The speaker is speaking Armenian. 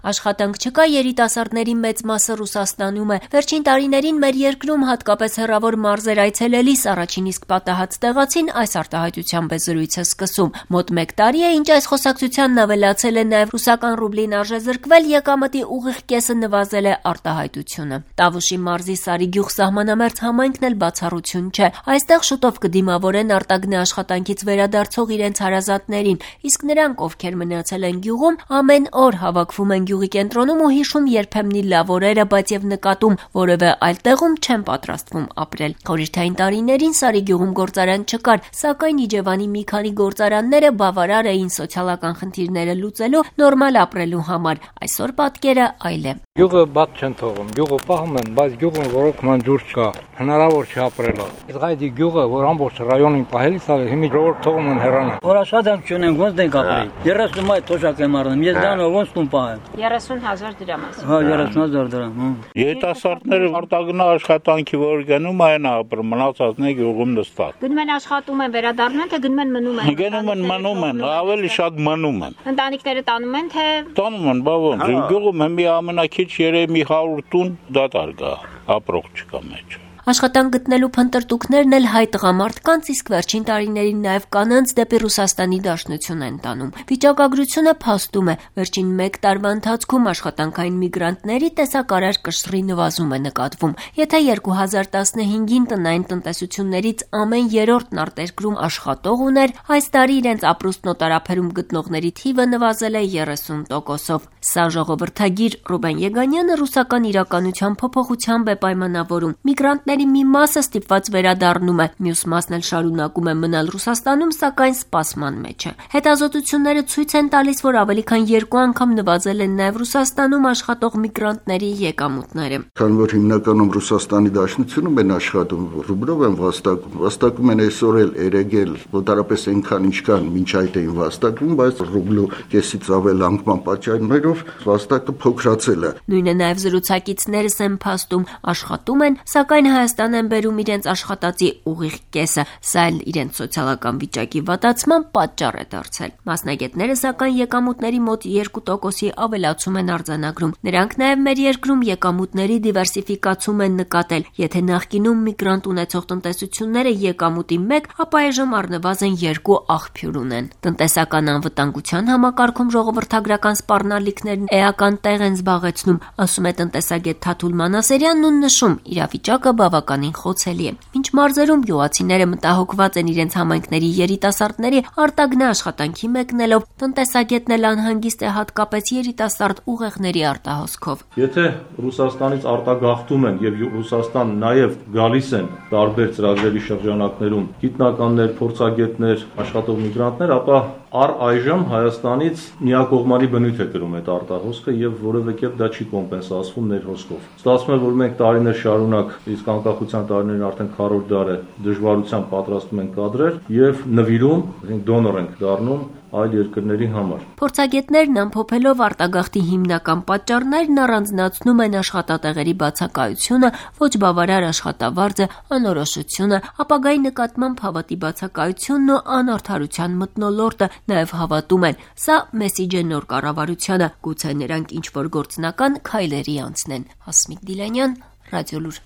Աշխատանք չկա, երիտասարդների մեծ մասը Ռուսաստանում է։ Վերջին տարիներին մեր երկրում, հատկապես հեռավոր մարզեր այցելելիս, առաջին իսկ պատահած տեղացին այս արտահայտությամբ է զրույցը սկսում։ Մոտ 1 տարի է, ինչ այս խոսակցությանն ավելացել է նաև ռուսական ռուբլին արժեզրկվել, եկամտի ուղիղ կեսը նվազել է արտահայտությունը։ Տավուշի մարզի Սարիգյուղ սահմանամերձ համայնքն էլ բացառություն չէ։ Այստեղ շուտով կդիմավորեն արտագնե աշխատանքից վերադարձող իրենց հարազատներին, իսկ նրանք, ովքեր մնացել են գյուղում, ամեն օր հավաքվում են գյուղի կենտրոնում ու հիշում երբեմնի լավ օրերը, բայց եւ նկատում որևէ այլ տեղում չեն պատրաստվում ապրել։ Խորհրդային տարիներին Սարիգյուղում գործարան չկար, սակայն Իջևանի մի քանի գործարանները բավարար էին սոցիալական խնդիրները լուծելու, նորմալ ապրելու համար։ Այսօր պատկերը այլ է։ Գյուղը բաց չեն թողում, գյուղը պահում են, բայց գյուղում որոքման ջուր չկա, հնարավոր չի ապրել։ Իսկ այդ գյուղը, որ ամբողջ ռայոնին պահելիս է, հիմի ժողովուրդ թողում են հեռանալ։ Որ աշխատանք չունեն, ոնց դենք ապրի։ 30 մայ թոշակ եմ առնում, ես դրանով ոնց տուն պահեմ։ 30,000 դրամ ասում։ Հա, 30,000 դրամ։ Երիտասարդները արտագնա աշխատանքի որ գնում այն ապրում, մնացածները գյուղում նստած։ Գնում են աշխատում են, վերադառնում են, թե գնում են մնում են։ Գնում են մնում են, ավելի շատ մնում են։ Ընտանիքները տանում են, թե տանում են, բա ոնց։ Գյուղում մի ամենակիչ երեք մի 100 տուն դատարկ կա, ապրող չկա մեջ։ Աշխատանք գտնելու փնտրտուքներն էլ հայ տղամարդկանց, իսկ վերջին տարիներին նաև կանանց դեպի Ռուսաստանի Դաշնություն են տանում։ Վիճակագրությունը փաստում է, վերջին 1 տարվա ընթացքում աշխատանքային միգրանտների տեսակարար կշռի նվազում է նկատվում։ Եթե 2015-ին տնային տնտեսություններից ամեն 3-րդն արտերկրում աշխատող ուներ, այս տարի իրենց ապրուստն օտարափերում գտնողների թիվը նվազել է 30%-ով։ Սա ժողովրդագիր Ռուբեն Եգանյանը ռուսական իրականության փոփոխությամբ է պայմանավորում։ Միգրանտների մի մասը ստիպված վերադառնում է, մյուս մասն էլ շարունակում է մնալ Ռուսաստանում, սակայն սպասման մեջ է։ Հետազոտությունները ցույց են տալիս, որ ավելի քան 2 անգամ նվազել են նաև Ռուսաստանում աշխատող միգրանտների եկամուտները։ Քանի որ հիմնականում Ռուսաստանի Դաշնությունում են աշխատում, ռուբլով են վաստակում են այսօր էլ երեգել, ոդարապես այնքան ինչքան մինչ այդ էին վաստակում, բայց ռուբլու կեսից ավել անկման պատճառներով վաստակը փոքրացել է։ Նույնը նաև զրուցակիցներս են փաստում, աշխատում են, սակայն Հայաստան են բերում իրենց աշխատածի ուղիղ կեսը, սա էլ իրենց սոցիալական վիճակի վատացման պատճառ է դարձել։ Մասնագետները սակայն եկամուտների մոտ 2%-ի ավելացում են արձանագրում։ Նրանք նաև մեր երկրում եկամուտների դիվերսիֆիկացում են նկատել։ Եթե նախկինում միգրանտ ունեցող տնտեսությունները եկամուտի 1, ապա այժմ առնվազն 2 աղբյուր ունեն։ Տնտեսական անվտանգության համակարգում ժողովրդագրական սպառնալիքներն էական տեղ են զբաղեցնում, ասում է տնտեսագետ Թաթուլ Մանասերյանն ու նշում, իրավիճակը բավականին խոցելի է։ Մինչ մարզերում գյուղացիները մտահոգված են իրենց համայնքների երիտասարդների արտագնա աշխատանքի մեկնելով, տնտեսագետն էլ անհանգիստ է հատկապես երիտասարդ ուղեղների արտահոսքով։ Եթե Ռուսաստանից արտագաղթում են եւ Ռուսաստան նաեւ գալիս են տարբեր ծրագրերի շրջանակներում գիտնականներ, փորձագետներ, աշխատող միգրանտներ, ապա այժմ Հայաստանից միակողմանի բնույթ է կրում այդ արտահոսքը եւ որևէ կերպ դա չի կոմպենսացվում ներհոսքով։ Ստացվում է, որ մենք տարիներ շարունակ, իսկ անկախության տարիներին արդեն 4-րդ դար է, դժվարությամբ պատրաստում ենք կադրեր եւ նվիրում, դոնոր ենք դառնում այլ երկրների համար։ Փորձագետներն ամփոփելով արտագաղթի հիմնական պատճառներն առանձնացնում են աշխատատեղերի բացակայությունը, ոչ բավարար աշխատավարձը, անորոշությունը, ապագայի նկատմամբ հավատի բացակայությունն ու անարդարության մթնոլորտը, նաև հավատում են, սա մեսիջ է նոր կառավարությանը, գուցե նրանք ինչ-որ գործնական քայլերի անցնեն։ Հասմիկ Դիլանյան, Ռադիոլուր։